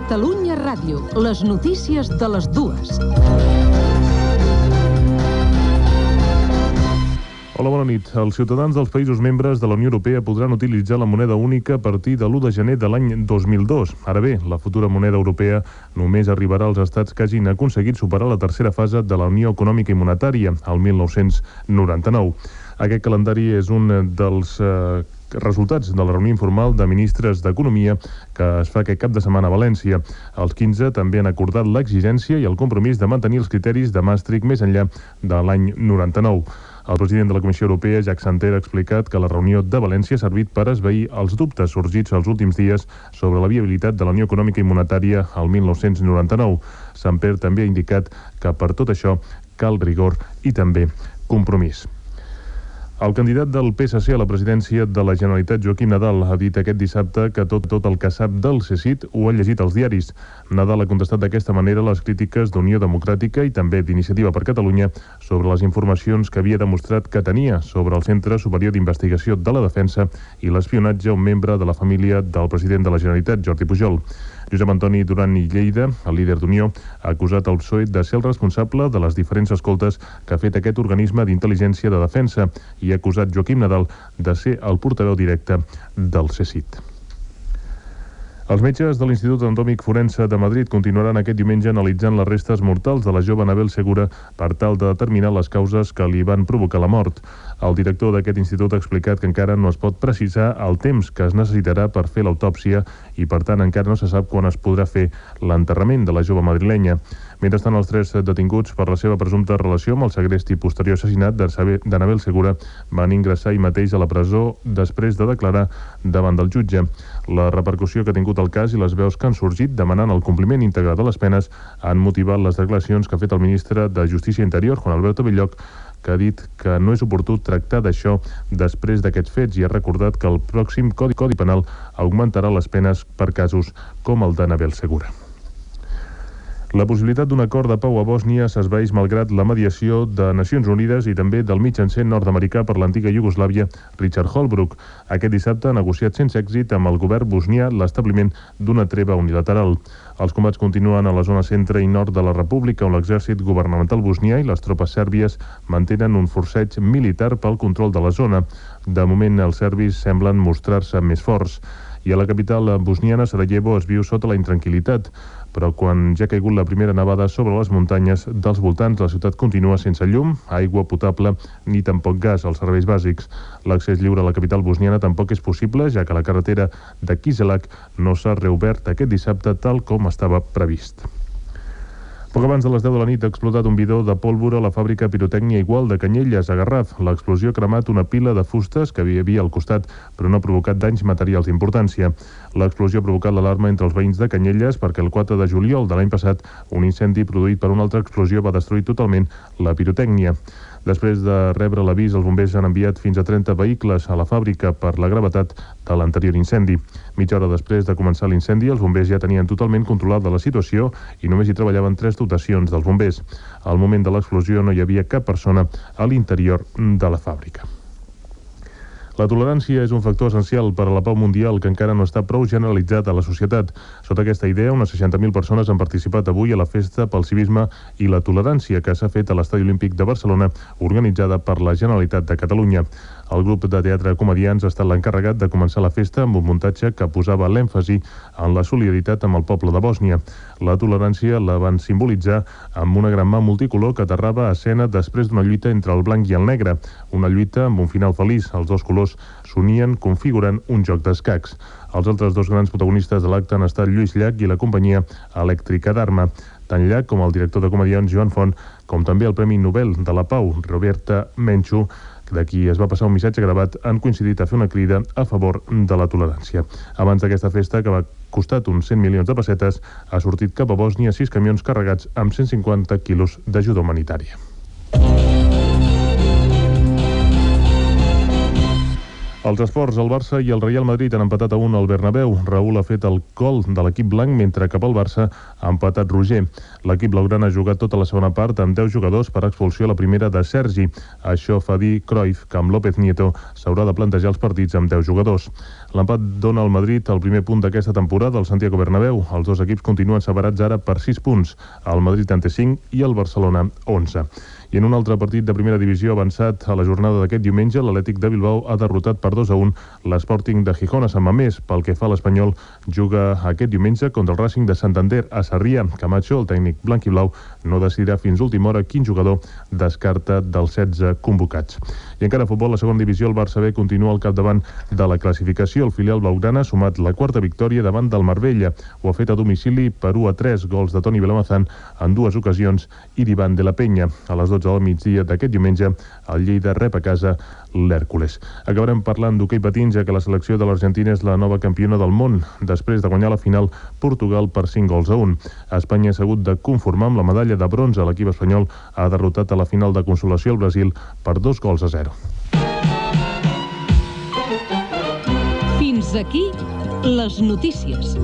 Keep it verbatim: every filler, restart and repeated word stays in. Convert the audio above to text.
Catalunya Ràdio, les notícies de les dues. Hola, bona nit. Els ciutadans dels països membres de la Unió Europea podran utilitzar la moneda única a partir de l'u de gener de l'any dos mil dos. Ara bé, la futura moneda europea només arribarà als estats que hagin aconseguit superar la tercera fase de la Unió Econòmica i Monetària, el mil nou-cents noranta-nou. Aquest calendari és un dels eh, resultats de la reunió informal de ministres d'Economia que es fa aquest cap de setmana a València. Els quinze també han acordat l'exigència i el compromís de mantenir els criteris de Maastricht més enllà de l'any noranta-nou. El president de la Comissió Europea, Jacques Santer, ha explicat que la reunió de València ha servit per esvair els dubtes sorgits els últims dies sobre la viabilitat de la Unió Econòmica i Monetària al mil nou-cents noranta-nou. Santer també ha indicat que per tot això cal rigor i també compromís. El candidat del P S C a la presidència de la Generalitat, Joaquim Nadal, ha dit aquest dissabte que tot, tot el que sap del C S I T ho ha llegit als diaris. Nadal ha contestat d'aquesta manera les crítiques d'Unió Democràtica i també d'Iniciativa per Catalunya sobre les informacions que havia demostrat que tenia sobre el Centre Superior d'Investigació de la Defensa i l'espionatge a un membre de la família del president de la Generalitat, Jordi Pujol. Josep Antoni Duran i Lleida, el líder d'Unió, ha acusat el P S O E de ser el responsable de les diferents escoltes que ha fet aquest organisme d'intel·ligència de defensa i ha acusat Joaquim Nadal de ser el portaveu directe del C S I T. Els metges de l'Institut Anatòmic Forense de Madrid continuaran aquest diumenge analitzant les restes mortals de la jove Anabel Segura per tal de determinar les causes que li van provocar la mort. El director d'aquest institut ha explicat que encara no es pot precisar el temps que es necessitarà per fer l'autòpsia i, per tant, encara no se sap quan es podrà fer l'enterrament de la jove madrilenya. Mentrestant, els tres detinguts per la seva presumpta relació amb el segrest i posterior assassinat d'Anabel Segura van ingressar ahir mateix a la presó després de declarar davant del jutge. La repercussió que ha tingut el cas i les veus que han sorgit demanant el compliment íntegre de les penes han motivat les declaracions que ha fet el ministre de Justícia i Interior, Juan Alberto Belloch, que ha dit que no és oportú tractar d'això després d'aquests fets i ha recordat que el pròxim Codi, Codi Penal augmentarà les penes per casos com el d'Anabel Segura. La possibilitat d'un acord de pau a Bòsnia s'esvaeix malgrat la mediació de Nacions Unides i també del mitjancer nord-americà per l'antiga Iugoslàvia, Richard Holbrooke. Aquest dissabte ha negociat sense èxit amb el govern bosnià l'establiment d'una treva unilateral. Els combats continuen a la zona centre i nord de la República, on l'exèrcit governamental bosnià i les tropes sèrbies mantenen un forceig militar pel control de la zona. De moment, els serbis semblen mostrar-se més forts. I a la capital bosniana, Sarajevo, es viu sota la intranquil·litat, però quan ja ha caigut la primera nevada sobre les muntanyes dels voltants, la ciutat continua sense llum, aigua potable ni tampoc gas als serveis bàsics. L'accés lliure a la capital bosniana tampoc és possible, ja que la carretera de Kiselak no s'ha reobert aquest dissabte tal com estava previst. Poc abans de les deu de la nit ha explotat un bidó de pólvora a la fàbrica Pirotècnia Igual de Canyelles, a Garraf. L'explosió ha cremat una pila de fustes que hi havia al costat, però no ha provocat danys materials d'importància. L'explosió ha provocat l'alarma entre els veïns de Canyelles perquè el quatre de juliol de l'any passat un incendi produït per una altra explosió va destruir totalment la pirotècnia. Després de rebre l'avís, els bombers han enviat fins a trenta vehicles a la fàbrica per la gravetat de l'anterior incendi. Mitja hora després de començar l'incendi, els bombers ja tenien totalment controlada la situació i només hi treballaven tres dotacions dels bombers. Al moment de l'explosió no hi havia cap persona a l'interior de la fàbrica. La tolerància és un factor essencial per a la pau mundial que encara no està prou generalitzat a la societat. Sota aquesta idea, unes seixanta mil persones han participat avui a la festa pel civisme i la tolerància que s'ha fet a l'Estadi Olímpic de Barcelona, organitzada per la Generalitat de Catalunya. El grup de teatre Comedians ha estat l'encarregat de començar la festa amb un muntatge que posava l'èmfasi en la solidaritat amb el poble de Bòsnia. La tolerància la van simbolitzar amb una gran mà multicolor que aterrava a escena després d'una lluita entre el blanc i el negre. Una lluita amb un final feliç. Els dos colors s'unien configurant un joc d'escacs. Els altres dos grans protagonistes de l'acte han estat Lluís Llach i la companyia elèctrica d'Arma. Tant Llach com el director de Comedians, Joan Font, com també el Premi Nobel de la Pau, Roberta Menchu, de qui es va passar un missatge gravat, han coincidit a fer una crida a favor de la tolerància. Abans d'aquesta festa, que va costat uns cent milions de pessetes, ha sortit cap a Bòsnia sis camions carregats amb cent cinquanta quilos d'ajuda humanitària. Als esports, el Barça i el Real Madrid han empatat a un al Bernabéu. Raúl ha fet el gol de l'equip blanc, mentre que pel Barça ha empatat Roger. L'equip blaugrana ha jugat tota la segona part amb deu jugadors per expulsió a la primera de Sergi. Això fa dir Cruyff que amb López Nieto s'haurà de plantejar els partits amb deu jugadors. L'empat dona al Madrid el primer punt d'aquesta temporada al Santiago Bernabéu. Els dos equips continuen separats ara per sis punts. El Madrid en té cinc i el Barcelona onze. I en un altre partit de primera divisió avançat a la jornada d'aquest diumenge, l'Atlètic de Bilbao ha derrotat per dos a un l'Sporting de Gijón a Sant Mamés. Pel que fa a l'Espanyol, juga aquest diumenge contra el Racing de Santander a Sarrià. Camacho, el tècnic blanc i blau, no decidirà fins última hora quin jugador descarta dels setze convocats. I encara a futbol, la segona divisió, el Barça B continua al capdavant de la classificació. El filial blaugrana ha sumat la quarta victòria davant del Marbella. Ho ha fet a domicili per u a tres, gols de Toni Vilamazán en dues ocasions i d'Ivan de la Peña. A les dotze del migdia d'aquest diumenge, el Lleida rep a casa l'Hèrcules. Acabarem parlant d'hoquei patins, ja que la selecció de l'Argentina és la nova campiona del món, després de guanyar la final Portugal per cinc gols a un. Espanya s'ha hagut de conformar amb la medalla de bronze. L'equip espanyol ha derrotat a la final de consolació al Brasil per dos gols a zero. Fins aquí les notícies.